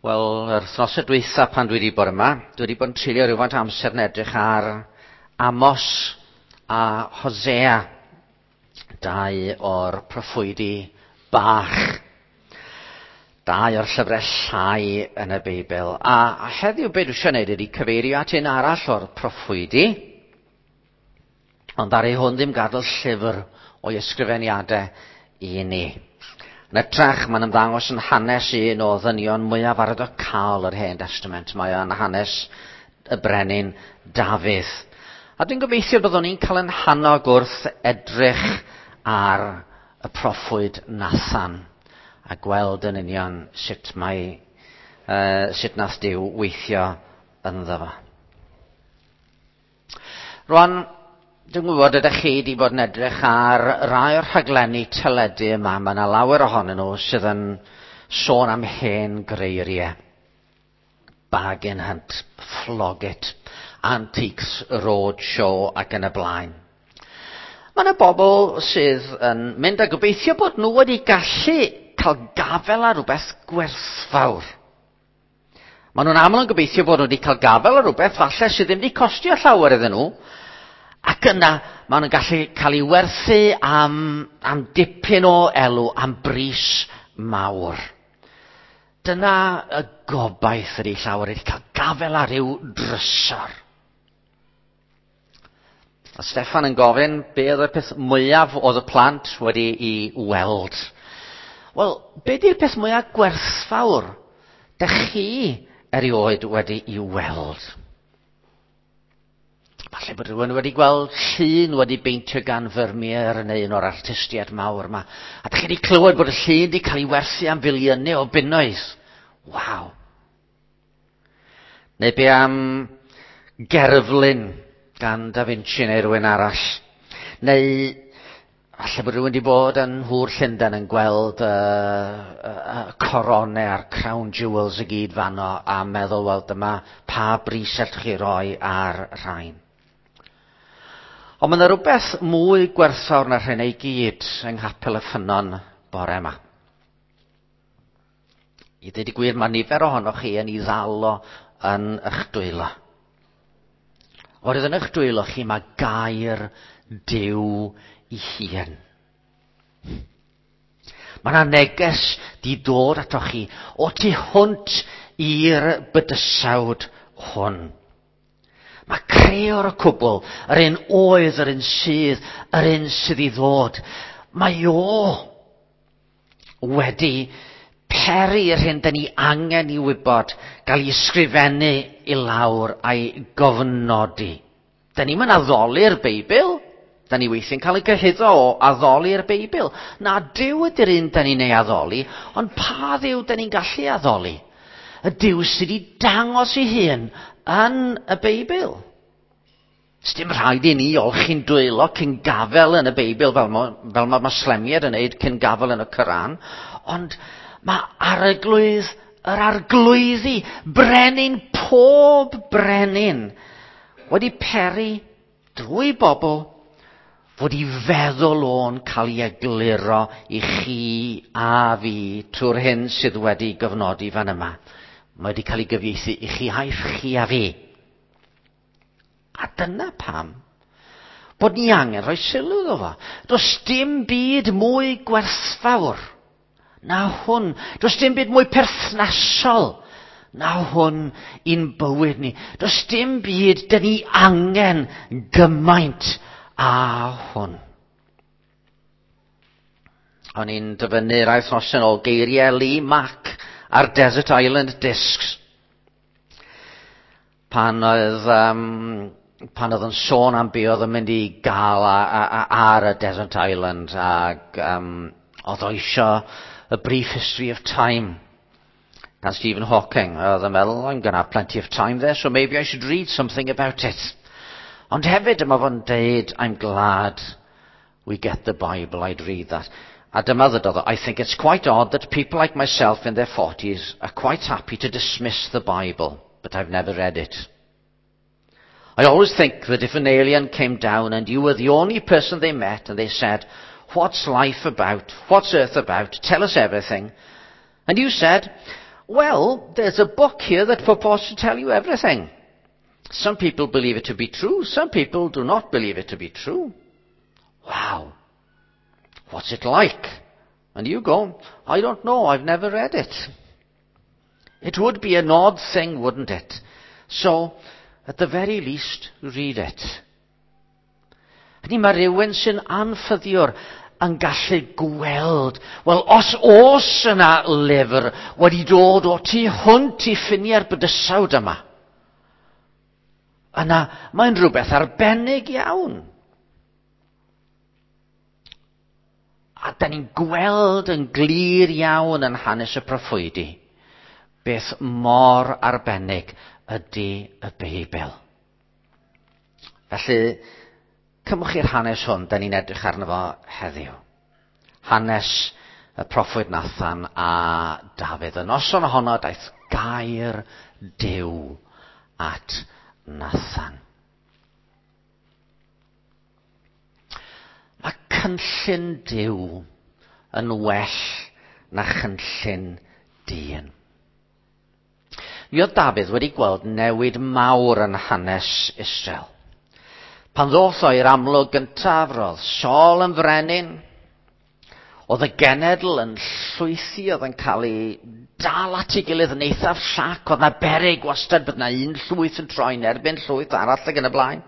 Wel, yr wythnosau dwytha pan dwi wedi bod yma, dwi wedi bod yn treulio rhywfaint amser yn edrych ar Amos a Hosea, dau o'r proffwydi bach, dau o'r llyfrau llai yn y Beibl. A, a heddiw be dwi eisiau gwneud ydy cyfeirio at un arall o'r proffwydi, ond ar ei hwn ddim gadael llyfr o'i ysgrifeniadau i ni. Yn ytrach, mae'n ymddangos yn hanes un o ddynion mwyaf arwyddocaol yr Hen Testament. Mae o'n hanes y brenin Dafydd. A dwi'n gobeithio byddwn ni'n cael yn hannog wrth edrych ar y proffwyd Nathan a gweld yn union sut mae sut nath Duw weithio ynddo fo. Rwan, dwi'n gwybod ydych chi wedi bod yn edrych ar rai o'r rhaglenni teledu yma. Mae yna lawer ohonyn nhw sydd yn sôn am hen greiriau. Bargain Hunt, Flog It, Antiques Roadshow ac yn y blaen. Mae yna bobl sydd yn mynd a gobeithio bod nhw wedi gallu cael gafel ar rhywbeth gwerthfawr. Maen nhw'n aml yn gobeithio bod nhw wedi cael gafel ar rhywbeth falle sydd ddim wedi costio llawer iddyn nhw, ac yna maen nhw'n gallu cael ei werthu am, am dipyn o elw, am bris mawr. Dyna y gobaith ydy llawer wedi cael gafel ar ryw drysor. A Steffan yn gofyn be oedd y peth mwyaf oedd y plant wedi i weld. Wel, be di'r peth mwyaf gwerthfawr dych chi erioed wedi i weld? Falle bod rhywun wedi gweld llun wedi beintio gan Vermeer neu un o'r artistiaid mawr yma. A dych chi wedi clywed bod y llun wedi cael ei werthu am filiynau o bunnoedd. Waw. Neu be am gerflun gan Da Vinci neu rhywun arall. Neu falle bod rhywun wedi bod yn Nhŵr Llundain yn gweld y, y, y coronau a'r crown jewels i gyd fanno a meddwl, wel, dyma pa bris allwch chi roi ar rhain. Ond mae yna rhywbeth mwy gwerthfawr na rhain i gyd yng Nghapel y Ffynnon bore yma. I ddweud y gwir, mae nifer ohonoch chi yn ei ddal o yn eich dwylo. Oherwydd yn eich dwylo chi mae gair Duw i hun. Mae yna neges di dod atoch chi o tu hwnt i'r bydysawd hwn. Mae creor y cwbl, yr un oedd, yr un sydd, yr un sydd i ddod. Mae o wedi peri yr hyn dyn ni angen i wybod gael ei ysgrifennu i lawr a'i gofnodi. Dyn ni'n mynd addoli'r Beibl. Dyn ni weithiau'n cael ei gyhuddo o addoli'r Beibl. Na, Duw ydy'r un dyn ni'n ei addoli, ond pa Dduw dyn ni'n gallu addoli? Y Duw sydd wedi dangos ei hun yn y Beibl. Sdim rhaid i ni olchi'n dwylo cyn gafel yn y Beibl fel, mo, fel mae Moslemiaid yn neud cyn gafel yn y Coran, ond mae arglwydd yr arglwyddi, brenin pob brenin, wedi peri drwy bobl fod i feddwl o'n cael ei egluro i chi a fi trwy'r hyn sydd wedi gyfnodi fan yma. Mae wedi cael ei gyfieithu i chi a'i chi a fi. A dyna pam bod ni angen rhoi sylw iddo fo. Does dim byd mwy gwerthfawr na hwn. Does dim byd mwy perthnasol na hwn i'n bywyd ni. Does dim byd dyn ni angen gymaint a hwn. O'n i'n dyfynnu rai wythnosau yn ôl geiriau Lee Mack ar Desert Island Discs. Pan oedd, um, pan oedd yn sôn am be oedd yn mynd i gael a, a, a, ar y Desert Island ac um, oedd o isio A Brief History of Time gan Stephen Hawking. Oedd yn meddwl, I'm going to have plenty of time there, so maybe I should read something about it. Ond hefyd, dyma fo'n deud, I'm glad we get the Bible, I'd read that. A dyma ddydodd o, I think it's quite odd that people like myself in their 40s are quite happy to dismiss the Bible, but I've never read it. I always think that if an alien came down and you were the only person they met and they said, what's life about? What's earth about? Tell us everything. And you said, Well, there's a book here that purports to tell you everything. Some people believe it to be true. Some people do not believe it to be true. Wow. What's it like? And you go, I don't know, I've never read it. It would be an odd thing, wouldn't it? So, at the very least, read it. Hynny mae rhywun sy'n anffyddiwr yn gallu gweld, wel, os oes yna lyfr wedi dod o tu hwnt i ffiniau'r bydysawd yma, yna mae'n rhywbeth arbennig iawn. A da ni'n gweld yn glir iawn yn hanes y proffwydi beth mor arbennig ydy y Beibl. Felly, cymwch i'r hanes hwn, da ni'n edrych arno fo heddiw. Hanes y proffwyd Nathan a Dafydd. Y noson ohono daeth gair Duw at Nathan. Mae cynllun Duw yn well na chynllun dyn. Mi oedd Dafydd wedi gweld newid mawr yn hanes Israel. Pan ddoth o i'r amlwg gyntaf, roedd Saul yn frenin, oedd y genedl yn llwythi, oedd yn cael ei dal at ei gilydd yn eithaf llac, oedd na beryg wastad bod na un llwyth yn troi'n erbyn llwyth arall ac yn y blaen.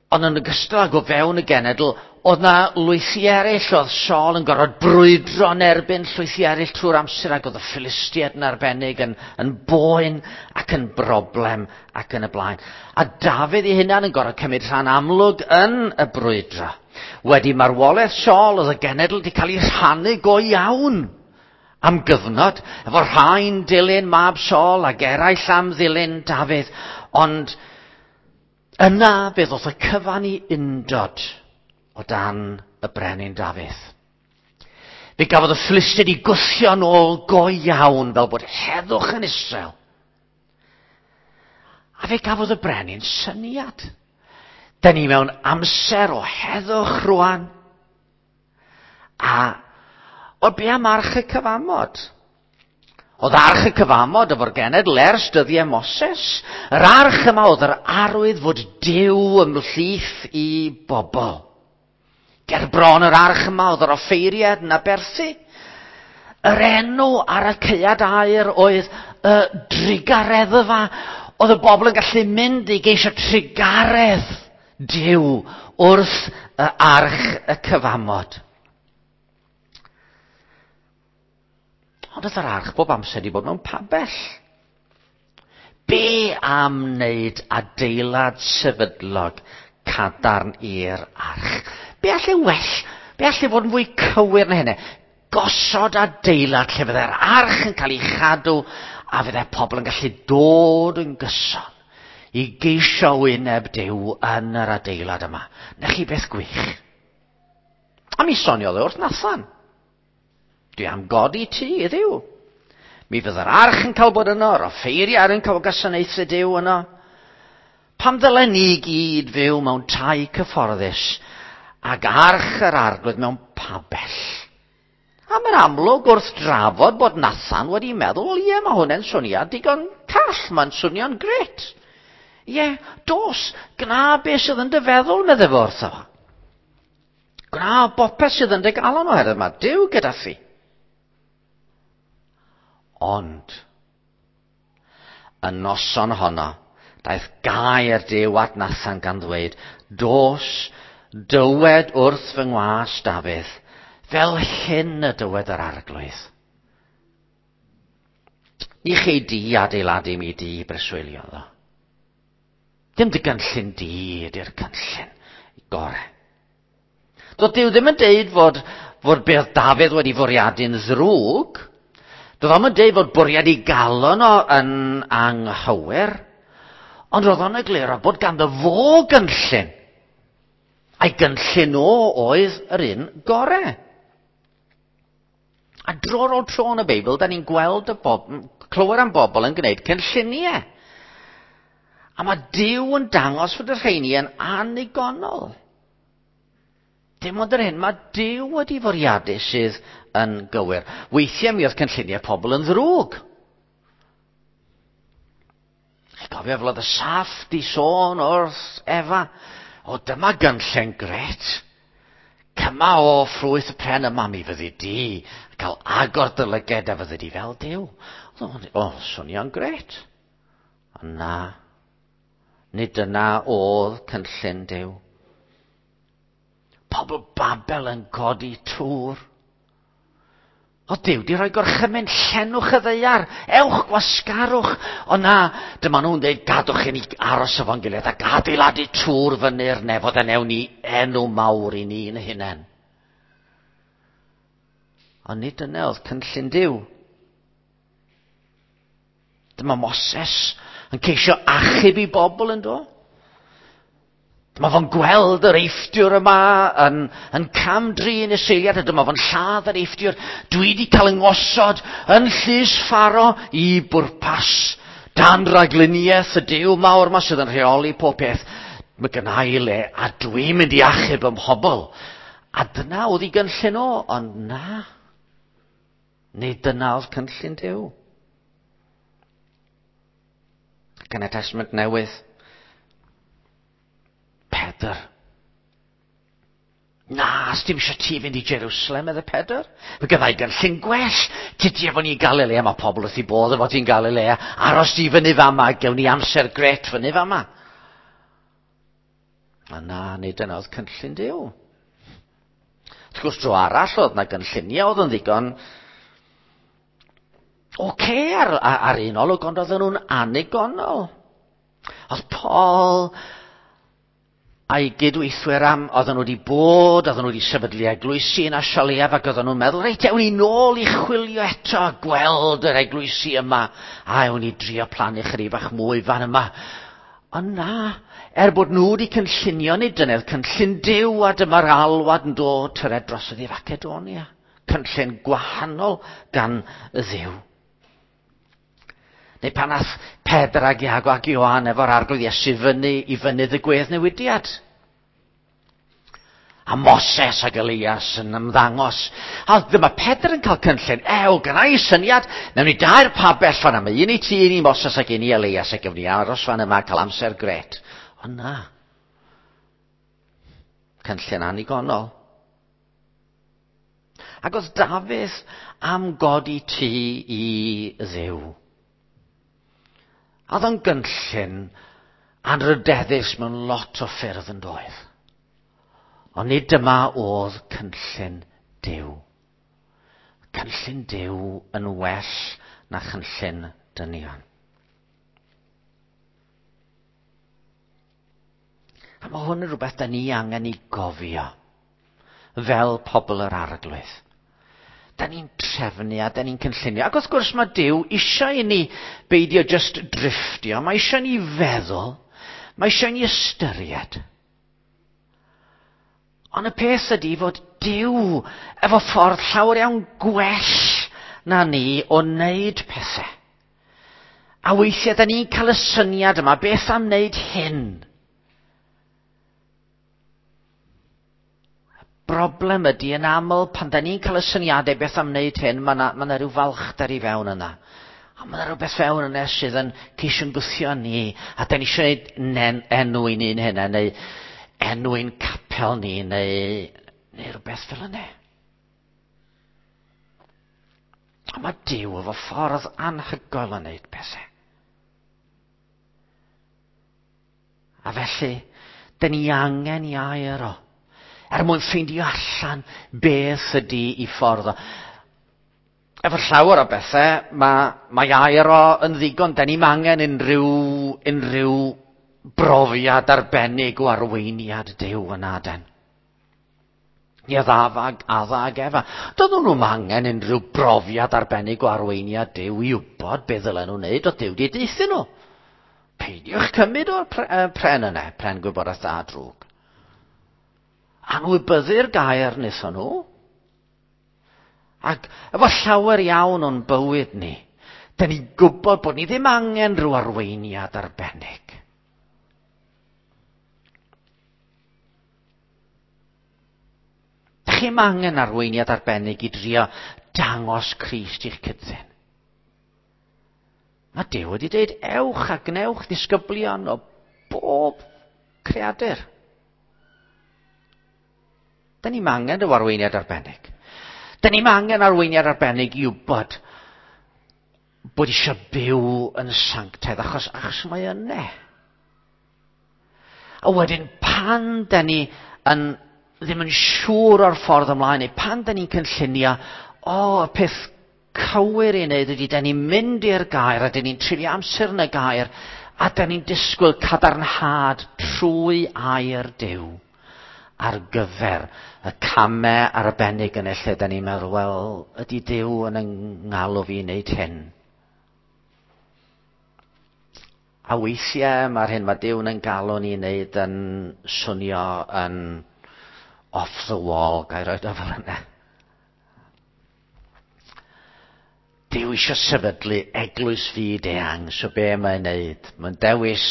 Ond yn ogystal ag o fewn y genedl, oedd na lwythi eraill, oedd Saul yn gorfod brwydro yn erbyn llwythi eraill trwy'r amser, ac oedd y Philistiaid yn arbennig yn, yn boen ac yn broblem ac yn y blaen. A Dafydd ei hunan yn gorfod cymryd rhan amlwg yn y brwydro. Wedi marwolaeth Saul, oedd y genedl wedi cael ei rhannu go iawn am gyfnod, efo rhai'n dilyn mab Saul ac eraill am ddilyn Dafydd, ond yna fe ddoth y cyfan i undod o dan y brenin Dafydd. Fe gafodd y Philistiaid i gwthio nôl go iawn fel bod heddwch yn Israel. A fe gafodd y brenin syniad. Da ni mewn amser o heddwch rwan. A o be am arch y cyfamod? Oedd arch y cyfamod efo'r genedl ers dyddiau Moses. Yr arch yma oedd yr arwydd fod Duw ymhlith i bobl. Ger bron yr arch yma oedd yr offeiriad yn aberthu. Yr enw ar y caead aur oedd y drugareddfa. Oedd y bobl yn gallu mynd i geisio trugaredd Duw wrth y arch y cyfamod. Ond oedd yr arch bob amser wedi bod mewn pabell. Be am wneud adeilad sefydlog cadarn i'r arch? Be alle well? Be alle fod yn fwy cywir na hynny? Gosod adeilad lle fydde'r arch yn cael ei chadw a fydde pobl yn gallu dod yn gyson i geisio wyneb Duw yn yr adeilad yma. Na chi beth gwych. A mi soniodd e wrth Nathan. Dwi am godi tŷ i Dduw. Mi fydd yr arch yn cael bod yno, yr offeiriad yn cael gwasanaethu Duw yno. Pam ddylen ni gyd fyw mewn tai cyfforddus ag arch yr arglwydd mewn pabell? A mae'n amlwg wrth drafod bod Nathan wedi meddwl, wel ie, mae hwnna'n syniad digon call, mae'n swnio'n gret. Ie, dos, gna beth sydd yn dy feddwl, medde fo wrtho. Gwna bopeth sydd yn dy galon oherwydd mae Duw gyda thi. Ond, y noson honno, daeth gair Duw at Nathan gan ddweud, dos, dywed wrth fy ngwas Dafydd, fel hyn y dywed yr arglwydd. Ni chei di adeiladu mi di breswylio ddo. Dim dy gynllun di ydy'r cynllun gore. Doedd Duw ddim yn deud fod, fod beth Dafydd wedi fwriadu'n ddrwg. Doedd o'm yn deud fod bwriad ei galon o yn anghywir. Ond roedd o'n egluro bod ganddo fo gynllun. A'i gynllun o oedd yr un gore. A dro ar ôl tro yn y Beibl, da ni'n gweld y bob, clywed am bobl yn gwneud cynlluniau. A mae Duw yn dangos fod y rheini yn annigonol. Dim ond yr hyn mae Duw wedi fwriadu sydd yn gywir. Weithiau mi oedd cynlluniau pobl yn ddrwg. Chi'n cofio fel oedd y saff di sôn wrth Efa? O, dyma gynllun gret. Cyma o ffrwyth y pren yma mi fyddi di. Cael agor dy lyged a fyddi di fel Duw. O, swnio'n gret. Ond na, nid dyna oedd cynllun Duw. Pobl Babel yn codi tŵr. O Duw, di rhoi gorchymyn, llenwch y ddaear, ewch gwasgarwch. O na, dyma nhw'n dweud, gadwch i ni aros efo'n gilydd ac adeiladu tŵr fyny'r nefodd a newn ni enw mawr i ni'n hunain. Ond nid dyna oedd cynllun Duw. Dyma Moses yn ceisio achub i bobl yn do. Dyma fo'n gweld yr eifftiwr yma yn, yn cam-drin y seiliad a dyma fo'n lladd yr eifftiwr. Dwi wedi cael yng ngosod yn llys Pharo i bwrpas dan ragluniaeth y Duw mawr yma sydd yn rheoli pob peth. Mae gynna i le a dwi'n mynd i achub ym mhobl. A dyna oedd ei gynllun o, ond na. Nid dyna oedd cynllun Duw. Ac yn y Testament Newydd, Pedr. Na, dim eisiau ti fynd i Jerusalem, medde Pedr. Fe gyddai gynllun gwell. Tydi efo ni Galilea, mae pobl wrth i bodd efo ti'n Galilea. Aros di fyny fama, gewn ni amser gret fyny fama. A na, nid dyna oedd cynllun Duw. Wrth gwrs, dro arall oedd na gynlluniau oedd yn ddigon oce ar, ar un olwg, ond oedden nhw'n annigonol. Oedd Paul a'i gydweithwyr am, oedden nhw wedi bod, oedden nhw wedi sefydlu eglwysi yn Asialiaf ac oedden nhw'n meddwl, reit, ewn ni nôl i chwilio eto a gweld yr eglwysi yma, a ewn ni drio plannu chydig bach mwy fan yma. Ond na, er bod nhw wedi cynllunio, nid dyna'r cynllun Duw a dyma'r alwad yn dod tyred drosodd i Facedonia. Cynllun gwahanol gan y Dduw. Neu pan ath Pedr ag Iago ac Ioan efo'r arglwydd Iesu fyny i fynydd y gweddnewidiad. A Moses ac Elias yn ymddangos. A dyma Pedr yn cael cynllun. Ew, gynna i syniad. Newn ni dair pabell fan yma. Un i ti, un i Moses ac un i Elias. Ac gewn ni aros fan yma a cael amser gret. Ond na. Cynllun annigonol. Ac oedd Dafydd am godi tŷ i Dduw. A oedd o'n gynllun anrydeddus mewn lot o ffyrdd yn doedd. Ond nid dyma oedd cynllun Duw. Cynllun Duw yn well na chynllun dynion. A mae hwn yn rhywbeth da ni angen i gofio fel pobl yr arglwydd. Da ni'n trefnu a da ni'n cynllunio. Ac wrth gwrs mae Duw eisiau i ni beidio just drifftio. Mae eisiau ni feddwl. Mae eisiau ni ystyried. Ond y peth ydy fod Duw efo ffordd llawer iawn gwell na ni o wneud pethau. A weithiau da ni'n cael y syniad yma, beth am wneud hyn? Broblem ydy yn aml pan da ni'n cael y syniadau beth am wneud hyn, mae yna ma rhyw falchder i fewn yna. A mae yna rhywbeth fewn yna sydd yn ceisio'n gwthio ni, a da ni eisiau gwneud enw i ni'n hynna, neu enw i'n capel ni, neu, neu rhywbeth fel yna. A mae Duw efo ffordd anhygoel yn wneud pethau. A felly, da ni angen i air o. Er mwyn ffeindio allan beth ydy i ffordd o. Efo llawer o bethau, mae, mae air o yn ddigon. Da ni'm angen unrhyw, unrhyw brofiad arbennig o arweiniad Duw yn aden. Ni oedd Adda Adda ag Efa. Doedden nhw'm angen unrhyw brofiad arbennig o arweiniad Duw i wybod beth ddylen nhw wneud, oedd Duw wedi deuthyn nhw. Peidiwch cymryd o'r pren yna, pren gwybodaeth dda drwg. Anwybyddu'r gair wnaethon nhw. Ac efo llawer iawn o'n bywyd ni, da ni'n gwybod bod ni ddim angen rhyw arweiniad arbennig. Da Dych chi'm angen arweiniad arbennig i drio dangos Crist i'ch cydddyn. Mae Duw wedi dweud, ewch a gwnewch ddisgyblion o bob creadur. Da ni'm angen ryw arweiniad arbennig. Da ni'm angen arweiniad arbennig i wybod bod eisiau byw yn sanctaidd, achos, achos mae yna. A wedyn pan da ni yn, ddim yn siŵr o'r ffordd ymlaen, neu pan da ni'n cynllunio, o, y peth cywir i wneud ydy, da ni'n mynd i'r gair, a da ni'n treulio amser yn y gair, a da ni'n disgwyl cadarnhad trwy air Duw ar gyfer y camau arbennig yn y lle da ni'n meddwl, wel, ydy Duw yn yng ngalw fi i wneud hyn? A weithiau mae'r hyn mae Duw'n yn galw ni i wneud yn swnio yn off the wall, ga i roed o fel yna. Duw eisiau sefydlu eglwys fyd eang, so be mae'n wneud? Mae'n dewis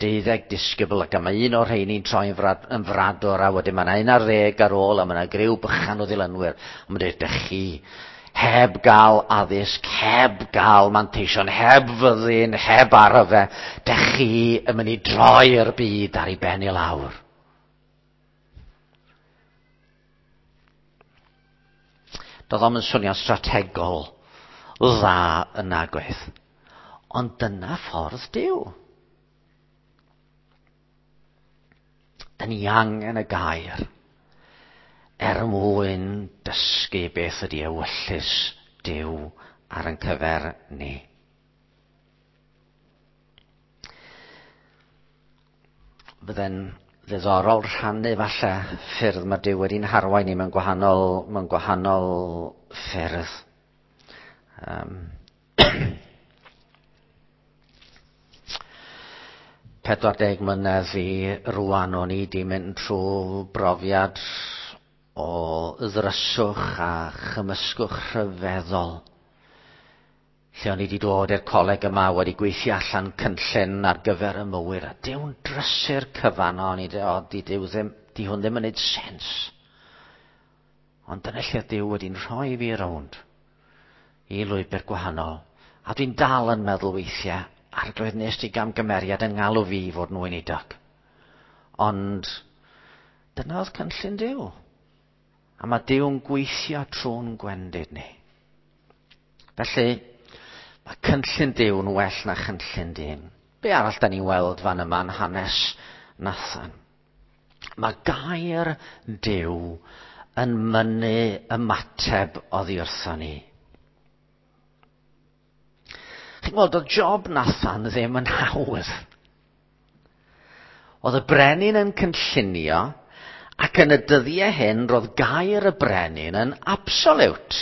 deuddeg disgybl ac mae un o'r rheini'n troi'n frad, yn fradwr a wedyn mae yna un ar ddeg ar ôl a mae yna griw bychan o ddilynwyr. A mae'n dweud, dych chi heb gael addysg, heb gael manteision, heb fyddin, heb arfe, dych chi yn mynd i droi'r byd ar ei ben i lawr. Doedd o'm yn swnio'n strategol dda yn nagwaith. Ond dyna ffordd Duw. Da ni angen y gair er mwyn dysgu beth ydy ewyllys Duw ar ein cyfer ni. Fydde'n ddiddorol rhannu falle ffyrdd mae Duw wedi'n harwain ni mewn gwahanol, mewn gwahanol ffyrdd. Um, 40 mlynedd i rwan o'n i 'di mynd trwy brofiad o ddryswch a chymysgwch rhyfeddol. Lle o'n i 'di dod i'r coleg yma wedi gweithio allan cynllun ar gyfer y mywyd a Duw'n drysu'r cyfan o'n i o di Duw ddim, di hwn ddim yn neud sens. Ond dyna lle Duw wedi'n rhoi fi rownd i lwybr gwahanol. A dwi'n dal yn meddwl weithiau, arglwydd nes di gamgymeriad yn ngalw fi i fod yn weinidog. Ond dyna oedd cynllun Duw. A mae Duw'n gweithio trwy'n gwendid ni. Felly, mae cynllun Duw'n well na chynllun dyn. Be arall da ni'n weld fan yma yn hanes Nathan? Mae gair Duw yn mynnu ymateb oddi wrthon ni. Chi'n gweld, oedd job Nathan ddim yn hawdd. Oedd y brenin yn cynllunio, ac yn y dyddiau hyn roedd gair y brenin yn absolute.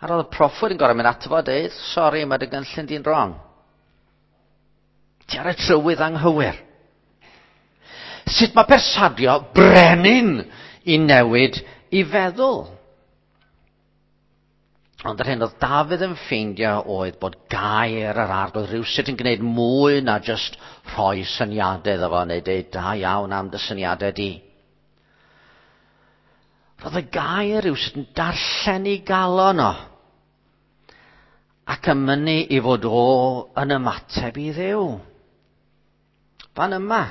A roedd y proffwyd yn gorau mynd ato fo a dweud, sori, mae dy gynllun di'n wrong. Ti ar y trywydd anghywir. Sut mae persadio brenin i newid i feddwl? Ond yr hyn oedd Dafydd yn ffeindio oedd bod gair yr arglwydd rhywsut yn gwneud mwy na jyst rhoi syniadau iddo fo neu deud da iawn am dy syniadau di. Roedd y gair rhywsut yn darllen i galon o ac yn mynnu i fod o yn ymateb i Dduw. Fan yma.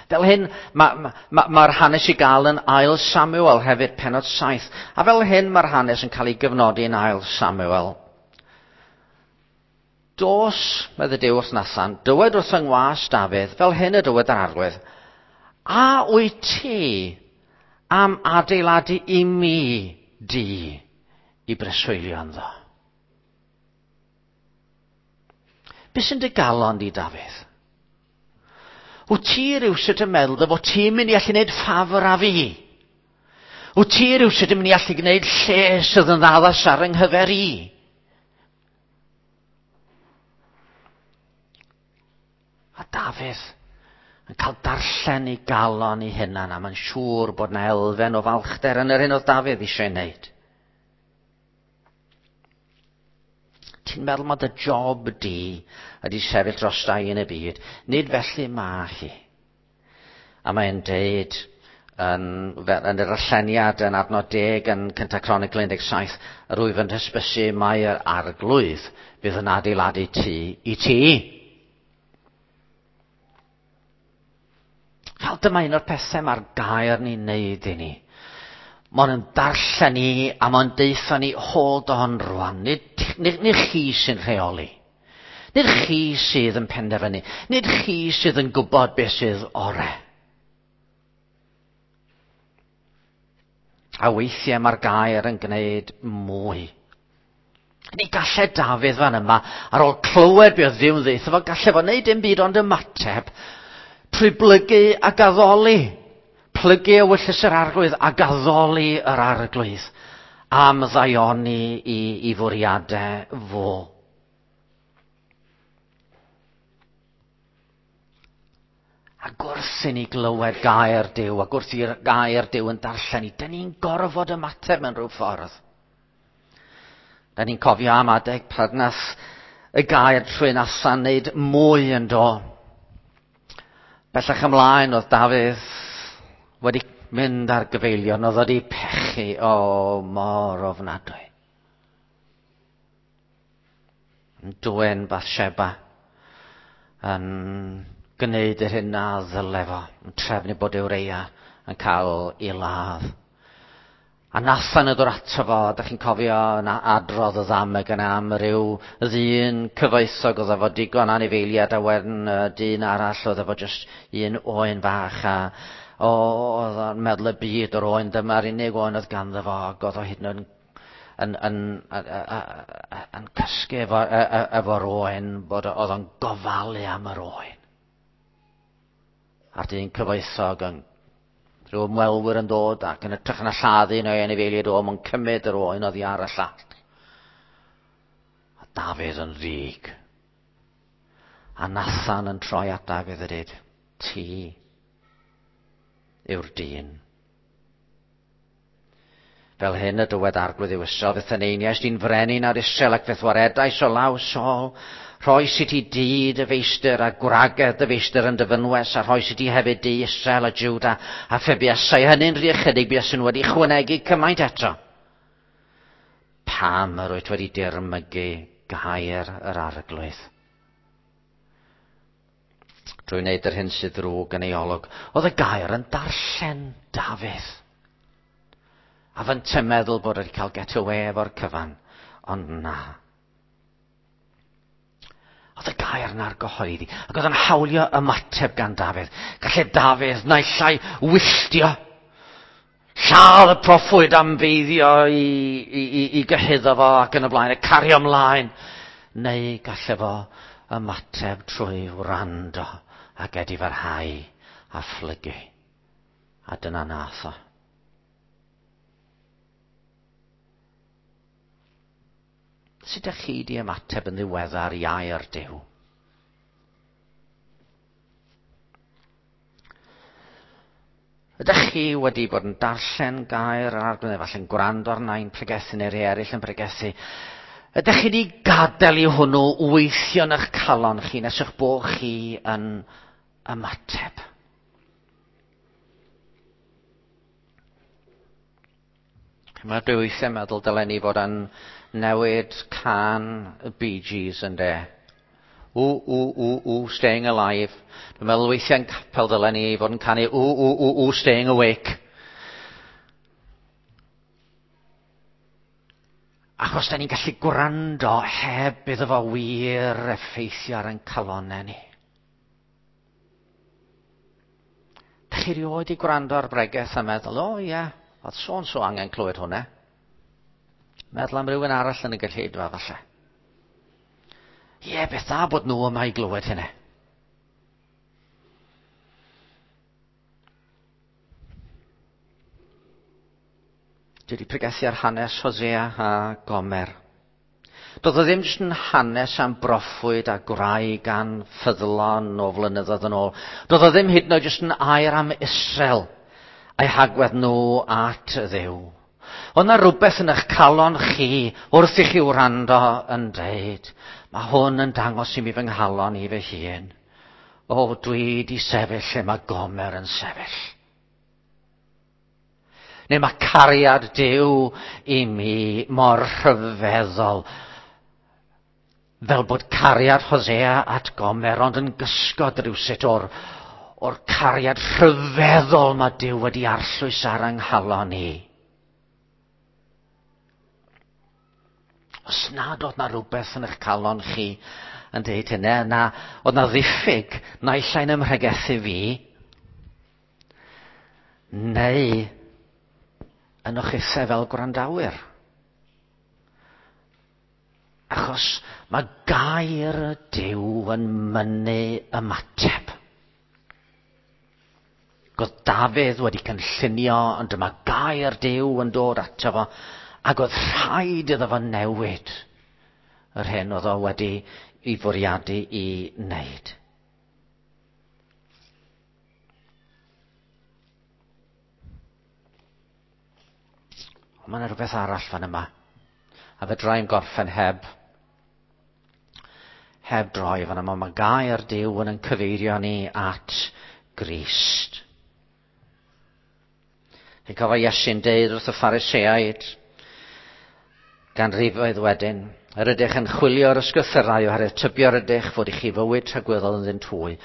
Fel hyn, mae'r ma, ma, ma hanes i gael yn ail Samuel hefyd, penod 7. A fel hyn mae'r hanes yn cael ei gyfnodi yn ail Samuel. Dos, medde Duw wrth Nathan, dywed wrth yng ngwas Dafydd, fel hyn y dywed yr arglwydd, a wyt ti am adeiladu i mi di i breswylio ynddo? Be sy'n dy galon di, Dafydd? Wyt ti rhywsut yn meddwl dy fod ti'n mynd i allu gwneud ffafr â fi? Wyt ti rhywsut yn mynd i allu gwneud lle sydd yn addas ar yng nghyfer i? A Dafydd yn cael darllen ei galon ei hunan, a mae'n siŵr bod yna elfen o falchder yn yr hyn oedd Dafydd eisiau ei wneud. Ti'n meddwl mae dy job di ydy sefyll dros dau yn y byd. Nid felly mae hi. A mae'n deud yn, yn yr alleniad yn adnod 10 yn 1 Cronicl 17, yr wyf yn hysbysu mai'r arglwydd bydd yn adeiladu tŷ i ti. Fel dyma un o'r pethau mae'r gair ni'n neud i ni. Mae'n yn darllen ni a mae'n deutha ni, hold on rwan, nid, nid, nid chi sy'n rheoli. Nid chi sydd yn penderfynu. Nid chi sydd yn gwybod beth sydd ore. A weithiau mae'r gair yn gwneud mwy. Ni gallai Dafydd fan yma, ar ôl clywed beth oedd Dduw'n ddeutha fo, gallai fo wneud dim byd ond ymateb trwy blygu ac addoli. Plygu ewyllys yr arglwydd ac addoli yr arglwydd am ddaioni i, i fwriadau fo. Ac wrth i ni glywed gair Duw, ac wrth i'r gair Duw yn darllen ni, dyn ni'n gorfod ymateb mewn rhyw ffordd. Dyn ni'n cofio am adeg pryd nath y gair trwy Nathan wneud mwy yn do. Bellach ymlaen oedd Dafydd wedi mynd ar gyfeilion, oedd wedi pechu, o, mor ofnadwy. Yn dwyn Bathsheba, yn gwneud yr hyn na ddyle fo, yn trefnu bod Ureia yn cael ei ladd. A Nathan yn dod ato fo, da chi'n cofio yn adrodd y ddameg yna am ryw ddyn cyfoethog oedd efo digon anifeiliad a wedyn dyn arall oedd efo jyst un oen fach a o, oedd o'n meddwl y byd o'r oen dyma'r unig oen oedd ganddo fo ac oedd o hyd yn oed yn, yn, yn, yn cysgu efo, efo'r oen, bod oedd o'n gofalu am yr oen. A'r dyn cyfoethog yn rhyw ymwelwyr yn dod ac yn ytrach na lladdu neu anifeiliaid o, mae'n cymryd yr oen oddi ar y llall. A Dafydd yn ddig. A Nathan yn troi at Dafydd a dweud, ti yw'r dyn. Fel hyn y dywed arglwydd yw Israel, fe'th eneiniais di'n frenin ar Israel ac fe'th waredais o law Saul. Rhoes i ti dŷ dy feistr a gwragedd dy feistr yn dy fynwes, a rhoes i ti hefyd dŷ Israel a Juda, a phe buasai hynny'n rhy ychydig, buaswn wedi chwanegu cymaint eto. Pam yr wyt wedi dirmygu gair yr arglwydd? Drwy wneud yr hyn sydd ddrwg yn ei olwg. Oedd y gair yn darllen Dafydd. A fynte meddwl bod wedi cael get away efo'r cyfan, ond na. Oedd y gair na'r gyhoeddi, ac oedd yn hawlio ymateb gan Dafydd. Gallai Dafydd naill ai wylltio, lladd y proffwyd am feiddio i, i, i, i gyhuddo fo ac yn y blaen, a cario ymlaen, neu gallai fo ymateb trwy wrando ac edifarhau a phlygu. A dyna nath o. Sut ydych chi wedi ymateb yn ddiweddar i air Duw? Ydych chi wedi bod yn darllen gair yr arglwydd, efallai'n gwrando ar nain pregethu neu rhai eraill yn pregethu? Ydych chi wedi gadael i hwnnw weithio yn eich calon chi nes eich bod chi yn ymateb? Mae dwi weithiau meddwl dylen ni fod yn newid can y Bee Gees yn de. Ww, ww, ww, ww, staying alive. Dwi'n meddwl weithiau yn capel dylen ni fod yn canu ww, ww, ww, ww, staying awake. Achos da ni'n gallu gwrando heb iddo fo wir effeithio ar ein calonnau ni. Dach chi rioed i gwrando ar bregeth a meddwl, o oh, ie, yeah, oedd so so angen clywed hwnna. Meddwl am rywun arall yn y gylleidfa falle. Ie, yeah, beth dda bod nhw yma i glywed hynna. Dwi wedi pregethu ar hanes Hosea a Gomer. Doedd o ddim jyst yn hanes am broffwyd a gwraig gan ffyddlon o flynyddoedd yn ôl. Doedd o ddim hyd yn oed jyst yn air am Israel a'i hagwedd nhw at Dduw. Oedd na rhywbeth yn eich calon chi wrth i chi wrando yn dweud, mae hwn yn dangos i mi fy nghalon i fy hun. O, dwi di sefyll lle mae Gomer yn sefyll. Neu mae cariad Duw i mi mor rhyfeddol. Fel bod cariad Hosea at Gomer ond yn gysgod rhywsut o'r, or cariad rhyfeddol mae Duw wedi arllwys ar yng nghalon i. Os nad oedd na rhywbeth yn eich calon chi yn dweud hynny, na, oedd na ddiffyg naill ai'n ymhregethu fi, neu yn o'ch eithaf fel gwrandawyr. Achos mae gair Duw yn mynnu ymateb. Oedd Dafydd wedi cynllunio, ond dyma gair Duw yn dod ato fo, ac oedd rhaid iddo fo newid yr hyn oedd o wedi i fwriadu i wneud. Ond mae yna rhywbeth arall fan yma. A fedra i'n gorffen heb heb droi fan yma. Mae gair Duw yn cyfeirio ni at Grist. Chi'n cofio Iesu'n deud wrth y Phariseaid ganrifoedd wedyn, yr ydych yn chwilio'r ysgrythyrau oherwydd tybio yr ydych fod i chi fywyd tragwyddol ynddyn hwy,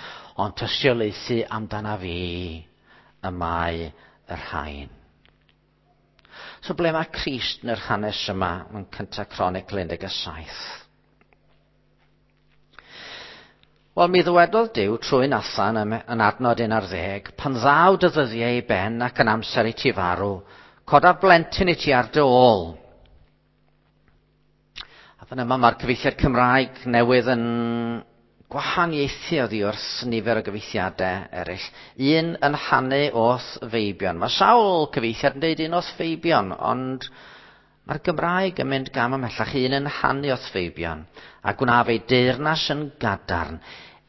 ond tystiolaethu amdana fi y mae y rhain. So ble mae Crist yn yr hanes yma yn cyntaf Cronicl 17? Wel, mi ddywedodd Duw trwy Nathan yn adnod 11, pan ddaw dy ddyddiau i ben ac yn amser i ti farw, codaf blentyn i ti ar dy ôl. A fan yma mae'r cyfieithiad Cymraeg newydd yn gwahaniaethu oddi wrth nifer o gyfieithiadau eraill. Un yn hanu o'th feibion. Mae sawl cyfieithiad yn deud un o'th feibion, ond mae'r Gymraeg yn mynd gam ymhellach. Un yn hanu o'th feibion, a gwnaf ei deyrnas yn gadarn.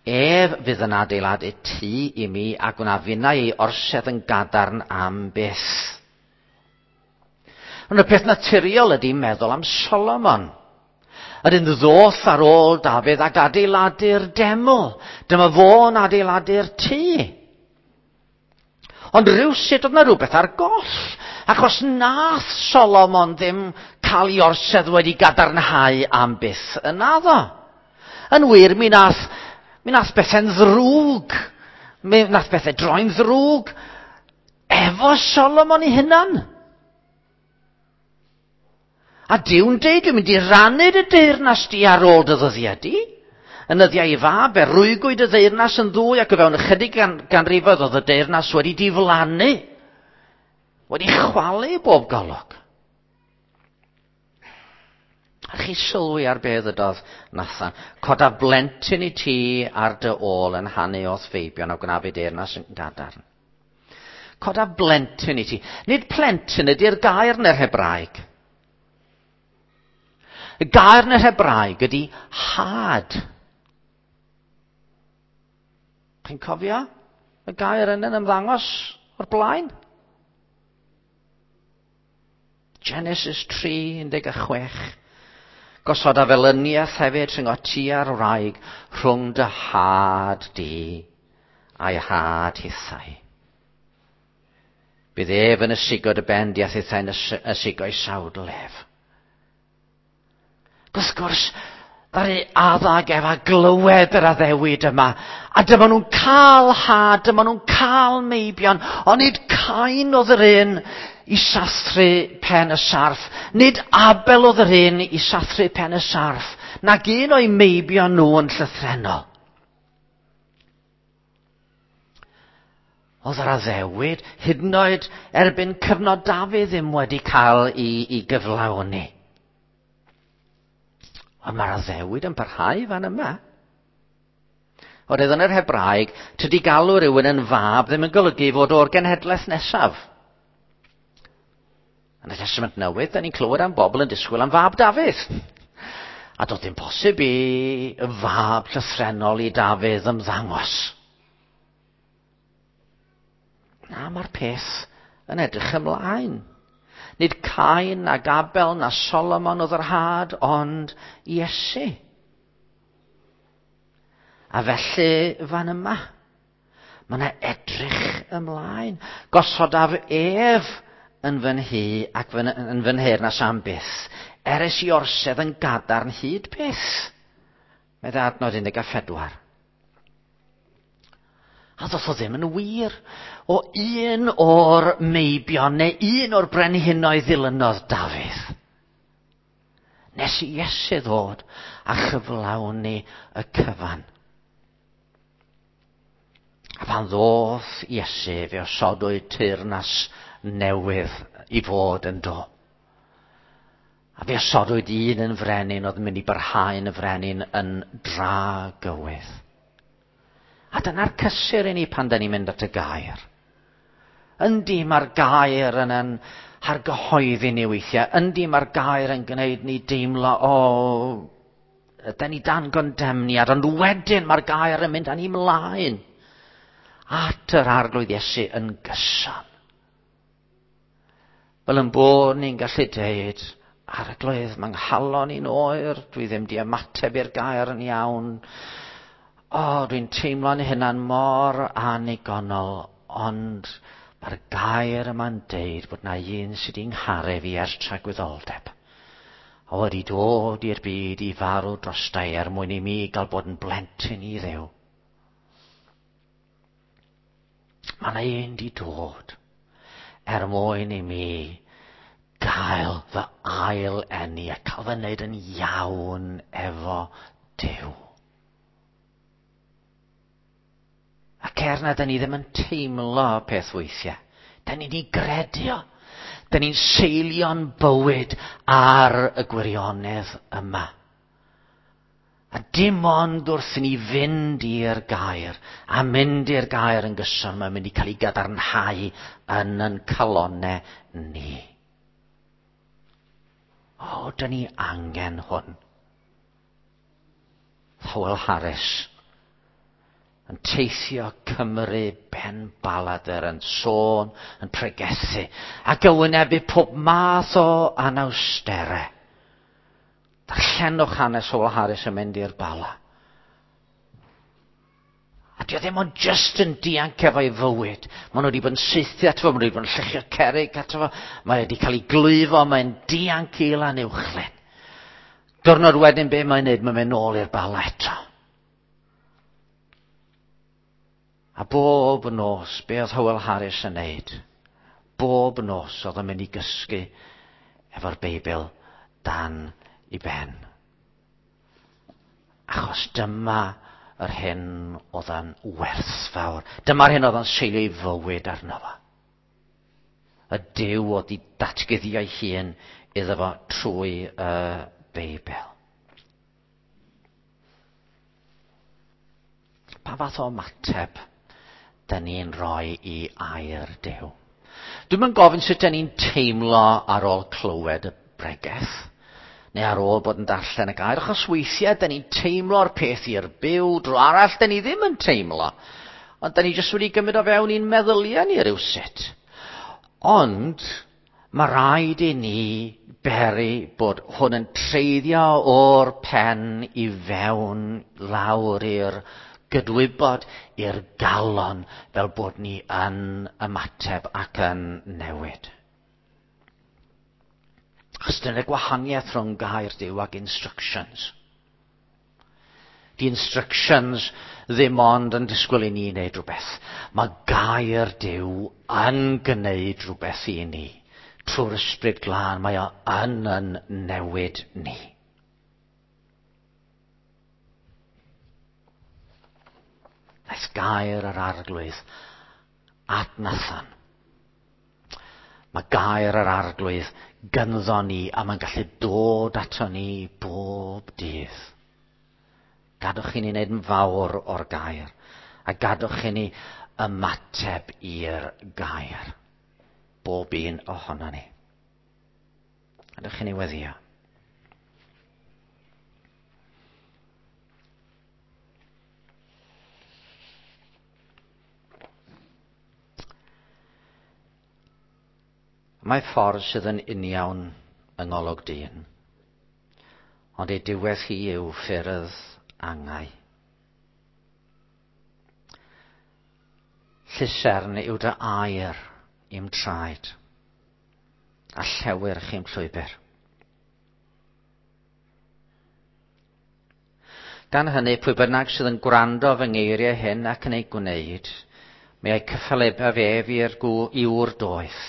Ef fydd yn adeiladu tŷ i mi, a gwnaf finnau ei orsedd yn gadarn am byth. Ond y peth naturiol ydy meddwl am Solomon. Yr un ddoth ar ôl Dafydd ac adeiladu'r deml. Dyma fo'n adeiladu'r tŷ. Ond rhywsut oedd yna rhywbeth ar goll. Achos nath Solomon ddim cael ei orsedd wedi gadarnhau am byth yn addo. Yn wir, mi nath, mi nath bethau'n ddrwg. Mi nath bethau droi'n ddrwg efo Solomon ei hunan. A Duw'n deud, dwi'n mynd i rannu dy deyrnas di ar ôl dy ddyddiau di. Yn nyddiau ei fab, e rwygwyd y ddeyrnas yn ddwy ac o fewn ychydig gan, ganrifoedd oedd y deyrnas wedi diflannu. Wedi chwalu bob golwg. A chi sylwi ar be ddydodd Nathan. Coda blentyn i ti ar dy ôl yn hanu o'th feibion a gwna fi deyrnas yn gadarn. Coda blentyn i ti. Nid plentyn ydy'r gair yn yr Hebraeg. Y gair yn yr Hebraeg ydy had. Chi'n cofio y gair yna'n ymddangos o'r blaen? Genesis 3, 16. Gosod a felyniaeth hefyd rhwng o ti a'r wraig rhwng dy had di a'i had hithau. Bydd ef yn ysigo dy ben di a thithau'n ysigo'i sawdl ef. Wrth gwrs, ddaru Adda ag Efa glywed yr addewid yma. A dyma nhw'n cael had, dyma nhw'n cael meibion, ond nid Cain oedd yr un i sathru pen y sarff. Nid Abel oedd yr un i sathru pen y sarff, nag un o'i meibion nhw yn llythrennol. Oedd yr addewid, hyd yn oed erbyn cyfnod Dafydd ddim wedi cael ei, ei gyflawni. Ond mae'r addewid yn parhau fan yma. Oherwydd yn yr Hebraeg, tydi galw rhywun yn fab ddim yn golygu fod o'r genhedlaeth nesaf. Yn y Testament Newydd, da ni'n clywed am bobl yn disgwyl am fab Dafydd. A doedd dim posib i fab llythrennol i Dafydd ymddangos. Na, mae'r peth yn edrych ymlaen. Nid Cain na Gabel na Solomon oedd yr had, ond Iesu. A felly fan yma, mae yna edrych ymlaen. Gosodaf ef yn fy nhŷ ac fy, yn fy nheyrnas am byth, er i orsedd yn gadarn hyd byth. Medde adnod 14. A ddoth o ddim yn wir o un o'r meibion neu un o'r brenhinoedd ddilynodd Dafydd. Nes i Iesu ddod a chyflawni y cyfan. A pan ddoth Iesu, fe osodwyd teyrnas newydd i fod yn do. A fe osodwyd un yn frenin oedd yn mynd i barhau yn y frenin yn dragywydd. A dyna'r cysur i ni pan da ni'n mynd at y gair. Yndi, mae'r gair yn yn hargyhoeddi ni weithiau. Yndi, mae'r gair yn gwneud ni deimlo, o, da ni dan gondemniad, ond wedyn mae'r gair yn mynd â ni mlaen at yr Arglwydd Iesu yn gyson. Fel yn bod ni'n gallu deud, Arglwydd, mae nghalon i'n oer, dwi ddim di ymateb i'r gair yn iawn. O, dwi'n teimlo'n hunan mor annigonol, ond mae'r gair yma'n deud bod na un sydd wedi'n ngharu fi ers tragwyddoldeb. A wedi dod i'r byd i farw drostai er mwyn i mi gael bod yn blentyn i Dduw. Mae yna un di dod er mwyn i mi gael fy ail eni a cael fy wneud yn iawn efo Duw. Ac er na da ni ddim yn teimlo peth weithiau, da ni'n ei gredu o. Da ni'n seilio'n bywyd ar y gwirionedd yma. A dim ond wrth i ni fynd i'r gair, a mynd i'r gair yn gyson, mae'n mynd i cael ei gadarnhau yn yn calonau ni. O, da ni angen hwn. Howell Harris yn teithio Cymru ben baladr, yn sôn, yn pregethu, ac yn wynebu pob math o anawsterau. Darllenwch hanes Howell Harris yn mynd i'r Bala. A di o ddim ond just yn dianc efo'i fywyd. Maen nhw wedi bod yn saethu ato fo, maen nhw wedi bod yn lluchio cerrig ato fo, mae wedi cael ei glwyfo, mae'n dianc i Lanuwchllyn. Diwrnod wedyn be mae'n neud, mae'n mynd nôl i'r Bala eto. A bob nos, be oedd Howell Harris yn neud? Bob nos oedd o'n mynd i gysgu efo'r Beibl dan i ben. Achos dyma yr hyn oedd yn werthfawr. Dyma'r hyn oedd yn seilio ei fywyd arno fo. Y Duw oedd i datguddio ei hun iddo fo trwy y Beibl. Pa fath o ymateb da ni'n rhoi i air Duw? Dwi'm yn gofyn sut da ni'n teimlo ar ôl clywed y bregeth, neu ar ôl bod yn darllen y gair, achos weithiau da ni'n teimlo'r peth i'r byw, dro arall da ni ddim yn teimlo, ond da ni jyst wedi gymryd o fewn i'n meddyliau ni rywsut. Ond mae rhaid i ni beri bod hwn yn treiddio o'r pen i fewn lawr i'r gydwybod, i'r galon, fel bod ni yn ymateb ac yn newid. Achos dyna'r gwahaniaeth rhwng gair Duw ac instructions. Di instructions ddim ond yn disgwyl i ni wneud rhywbeth. Mae gair Duw yn gwneud rhywbeth i ni. Trwy'r Ysbryd Glân, mae o yn yn newid ni. Daeth gair yr Arglwydd at Nathan. Mae gair yr Arglwydd gynddo ni a mae'n gallu dod ato ni bob dydd. Gadwch i ni wneud yn fawr o'r gair a gadwch i ni ymateb i'r gair. Bob un ohono ni. Gadwch i ni weddio. Mae ffordd sydd yn uniawn yng ngolwg dyn, ond ei diwedd hi yw ffyrdd angau. Llusern yw dy air i'm traed, a llewyrch i'm llwybr. Gan hynny, pwy bynnag sydd yn gwrando fy ngeiriau hyn ac yn ei gwneud, mi a'i cyffelyb ef i'r i ŵr doeth,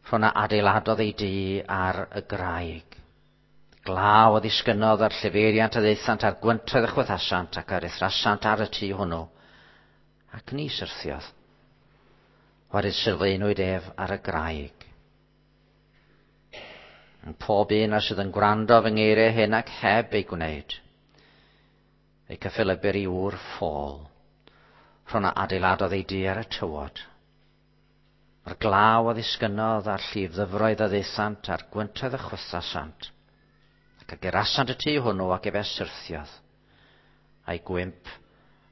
rhwng a adeiladodd ei dŷ ar y graig. Glaw a ddisgynnodd a'r llifeiriant a ddaethant a'r gwyntoedd a chwythasant ac a ruthrasant ar y tŷ hwnnw, ac ni syrthiodd. Oherwydd sylfaenwyd ef ar y graig. Yn pob un a sydd yn gwrando fy ngeiriau hyn ac heb ei gwneud, ei cyffelybu'r i ŵr ffôl, rhwng a adeiladodd ei dŷ ar y tywod. Mae'r glaw a ddisgynnodd a'r llif ddyfroedd a ddaethant a'r gwyntoedd a chwythasant, ac a gyrasant y tŷ hwnnw ac efe syrthiodd, a'i gwymp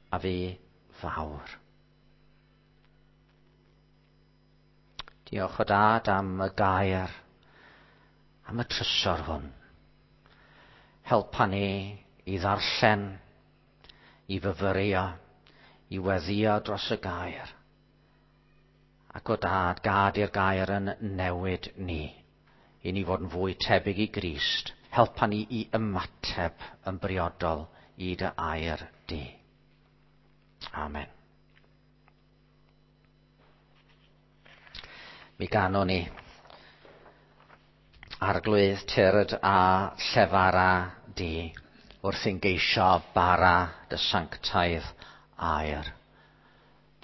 a fu fawr. Diolch o dad am y gair, am y trysor hwn. Helpa ni i ddarllen, i fyfyrio, i weddio dros y gair. Ac o dad, gad i'r gair yn newid ni, i ni fod yn fwy tebyg i Grist. Helpa ni i ymateb yn briodol i dy air di. Amen. Mi ganwn ni Arglwydd tyrd a llefara di wrth i'n geisio bara dy sanctaidd air.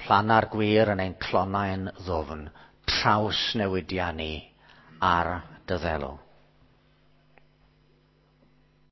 Planna'r gwir yn ein clonau'n ddwfn, traws newidia ni ar dy ddelw.